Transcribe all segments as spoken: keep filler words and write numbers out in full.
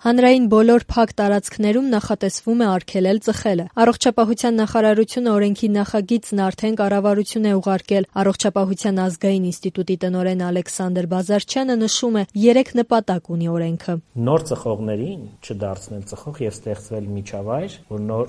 Հանրային բոլոր փակ տարածքներում նախատեսվում է արգելել ծխելը։ Առողջապահության նախարարությունը օրենքի նախագիծն արդեն կառավարություն է ուղարկել։ Առողջապահության ազգային ինստիտուտի տնօրեն Ալեքսանդր Բազարչյանը նշում է՝ երեք նպատակ ունի օրենքը։ Նոր ծխողներին չդարձնել ծխող եւ ստեղծվել միջավայր, որ նոր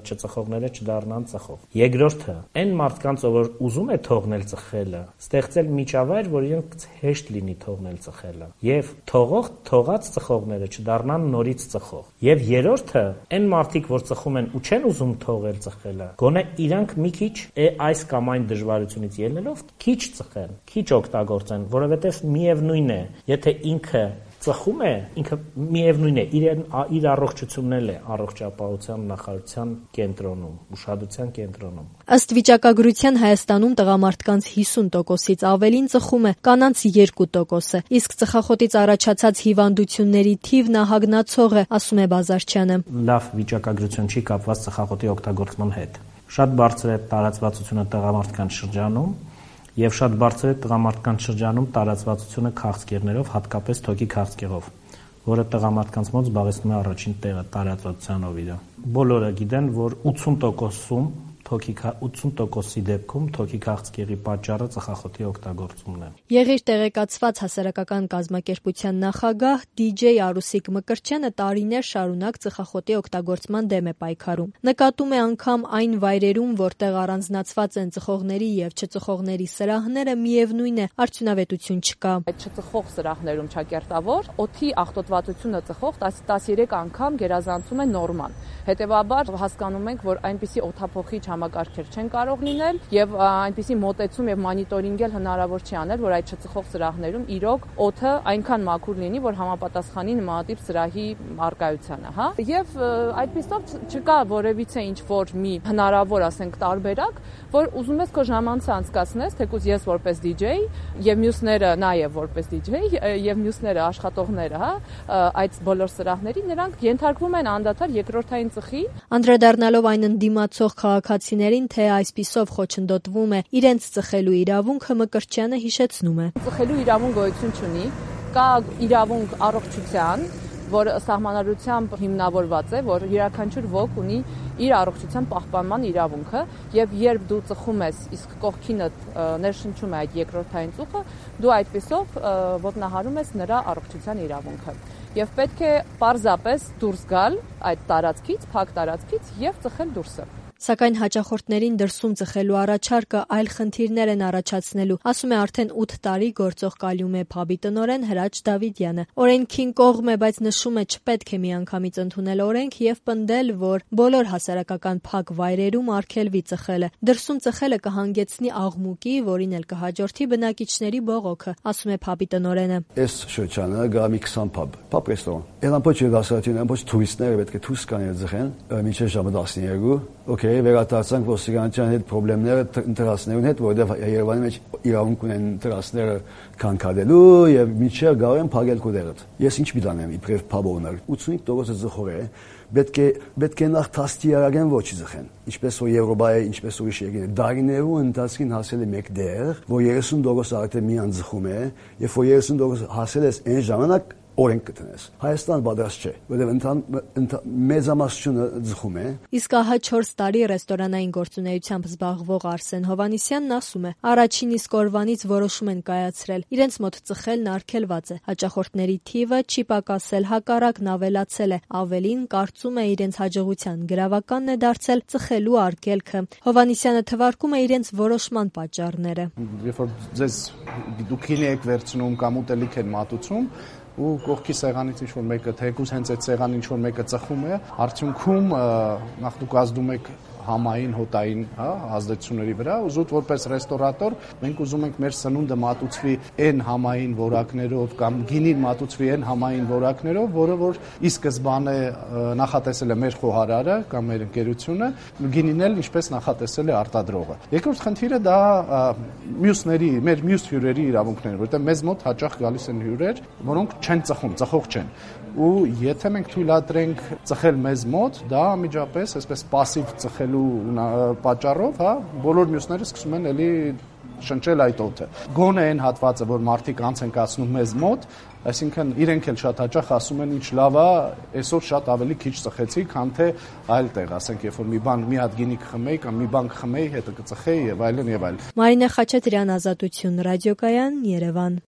չծխողները չդառնան ծխող։ Երկրորդը, այն մարդկանց, որ ուզում է թողնել ծխելը, ստեղծել միջավայր, որ իրենք հեշտ լինի թողնել ծխելը։ Եվ թողող թողած ծխողները չդառնան նորից ծխող։ Եվ երրորդը, այն մարդիկ, որ ծխում են ու չեն ուզում թողել ծխելը, գոնե իրանք մի քիչ այս կամ այն դժվարությունից ելնելով քիչ ծխեն, քիչ օգտագործեն, որովհետև միևնույն է, եթե ինքը ծխում է, ինքը միևնույն է, իր, իր առողջությունն էլ է առողջապահության նախարարության կենտրոնում, ուշադրության կենտրոնում։ Ըստ վիճակագրության Հայաստանում տղամարդկանց հիսուն տոկոսից ավելին ծխում է, կանանց երկու տոկոսը, իսկ ծխախոտից առաջացած հիվանդությունների թիվն ահագնացող է, ասում է Բազարչյանը։ Լավ վիճակագրություն չի կապված ծխախոտի օգտագործման հետ։ Շատ բարձր է տարածվածությունը տղամարդկանց շրջանում եւ շատ բարձր է տղամարդկանց շրջանում տարածվածությունը քաղցկեղներով, հատկապես թոքի քաղցկեղով, որը տղամարդկանց մոտ զբաղեցնում է առաջին տեղը տարածվածությանով իր։ Բոլորը գիտեն, որ ութսուն տոկոսում թոքի ութսուն տոկոսի դեպքում թոքի քաղցկեղի պատճառը ծխախոտի օգտագործումն է։ Եղիր տեղեկացված հասարակական կազմակերպության նախագահ դիջեյ Արուսիկ Մկրտչյանը տարիներ շարունակ ծխախոտի օգտագործման դեմ է պայքարում։ Նկատում է անգամ այն վայրերում, որտեղ առանձնացված են ծխողների եւ չծխողների սրահները, միևնույն է, արդյունավետություն չկա։ Այդ չծխող սրահներում ճակերտավոր օդի աղտոտվածությունը ծխող տասներեք անգամ գերազանցում է նորման։ Հետևաբար հասկանում ենք, որ այնպիսի օդափոխիչ համակարգեր չեն կարող լինել եւ այնպիսի մոտեցում եւ մոնիտորինգ էլ հնարավոր չի անել, որ այդ չծխող սրահներում իրոք օդը այնքան մաքուր լինի, որ համապատասխանի նմանատիպ սրահի առկայությանը, հա։ Եվ այդպիսով չկա որևիցե ինչ որ մի հնարավոր, ասենք, տարբերակ, որ ուզում ես քո ժամանցը անցկացնես, թեկուզ ես որպես դիջեյ եւ մյուսները նաեւ որպես դիջեյ եւ մյուսները աշխատողները, հա, այդ բոլոր սրահների նրանք ենթարկվում են անդադար երկրորդային ծխի։ Անդրադառնալով այն ընդդիմացող քաղաքացիներին, թե այսպիսով խոչընդոտվում է իրենց ծխելու իրավունքը, Մկրտչյանը հիշեցնում է։ Ծխելու իրավունք գոյություն չունի, կա իրավունք առողջության, որ սահմանադրությամբ հիմնավորված է, որ յուրաքանչյուր ոք ունի իր առողջության պահպանման իրավունքը, եւ երբ դու ծխում ես, իսկ կողքինդ ներշնչում է այդ երկրորդային ծուխը, դու այդպիսով ոտնահարում ես նրա առողջության իրավունքը։ Եվ պետք է պարզապես դուրս գալ այդ տարածքից, փակ տարածքից եւ ծխել դուրսը։ Սակայն հաճախորդներին դրսում ծխելու առաջարկը այլ խնդիրներ են առաջացնելու, ասում է արդեն ութ տարի գործող Կալյումե փաբի տնօրեն Հրաչ Դավիդյանը։ Օրենքին կողմ է, բայց նշում է չպետք է միանգամից ընդունել օրենք եւ պնդել, որ բոլոր հասարակական փակ վայրերում արգելվի ծխելը։ Դրսում ծխելը կհանգեցնի աղմուկի, որին էլ կհաջորդի բնակիչների բողոքը, ասում է փաբի տնօրենը։ Այս շրջանը գա մի քսան փաբ, փաբ ռեստորան։ Այնպես չի դասարատին, այնպես տուրիստները պետք է դուրս գան ծխեն, մինչև ժամը տասներկու, օքեյ, վերադարձանք ոստիկանության հետ խնդիրները ընտրացնելու հետ, որովհետև Երևանի մեջ իրավունք ունեն ընտրացները քանքադելու եւ մինչև գարեն փակել կոդերը։ Ես ինչ միտանեմ իբրև փաբոնար ութսունհինգ տոկոս ծխող է, պետք է պետք է նախ թաստիարակեն ոչ ծխեն։ Ինչպես որ Եվրոպայի, ինչպես ուրիշ երկրներ դարիներու ընթացքին հասել է մեկ դեր, որ երեսուն տոկոս արդեն մի անձխում է, եւ որ երեսուն տոկոս հասել է այն ժամանակ օրենք կտնես։ Հայաստան պատրաստ չէ, որովհետև մեծամասնությունը ձխում է։ Իսկ ահա չորս տարի ռեստորանային գործունեությամբ զբաղվող Արսեն Հովանիսյանն ասում է, առաջին իսկ օրվանից որոշում են կայացրել, իրենց մոտ ծխելն արգելված է, հաճախորդների թիվը չի պակասել, հակառակն ավելացել է, ավելին կարծում է իրենց հաջողության գրավականն է դարձել ծխելու արգելքը։ Հովանիսյանը թվարկում է իրենց որոշման պատճառները։ Երբ որ ձեզ դուք քինի եք վերցնում կամ ուտելիք են մատուցում, ու կողքի սեղանից ինչ որ մեկը թեկուզ հենց այդ սեղանին ինչ որ մեկը ծխում է, արդյունքում նախ դուք ազդում եք համային, հոտային, հա, ազդեցությունների վրա, ու զուտ որպես ռեստորատոր մենք ուզում ենք մեր սնունդը մատուցվի այն համային որակներով կամ գինին մատուցվի այն համային որակներով, որը որ ի սկզբանե նախատեսել է մեր խոհարարը կամ մեր ընկերությունը, գինին էլ ինչպես նախատեսել է արտադրողը։ Երկրորդ խնդիրը դա մյուսների, մեր մյուս հյուրերի իրավունքներն են, որտեղ մեզ մոտ հաճախ գալիս են հյուրեր, որոնք չեն ծխում, ծխող չեն։ Ու եթե մենք թույլատրենք ծխել մեզ մոտ, դա անմիջապես այսպես пассив ծխելու պատճառով, հա, բոլոր մյուսները սկսում են էլի շնչել այդ օդը։ Գոնե այն հատվածը, որ մարդիկ անց են կացնում մեզ մոտ, այսինքն իրենք էլ շատ հաճախ ասում են ինչ լավ է, այսօր շատ ավելի քիչ ծխեցի, քան թե այլ տեղ, ասենք, երբ որ մի բան մի հատ գինի կխմեի կամ մի բան կխմեի, հետո կծխեի եւ այլն եւ այլն։ Մարինե Խաչատրյան, Ազատություն, Ռադիոկայան, Երևան։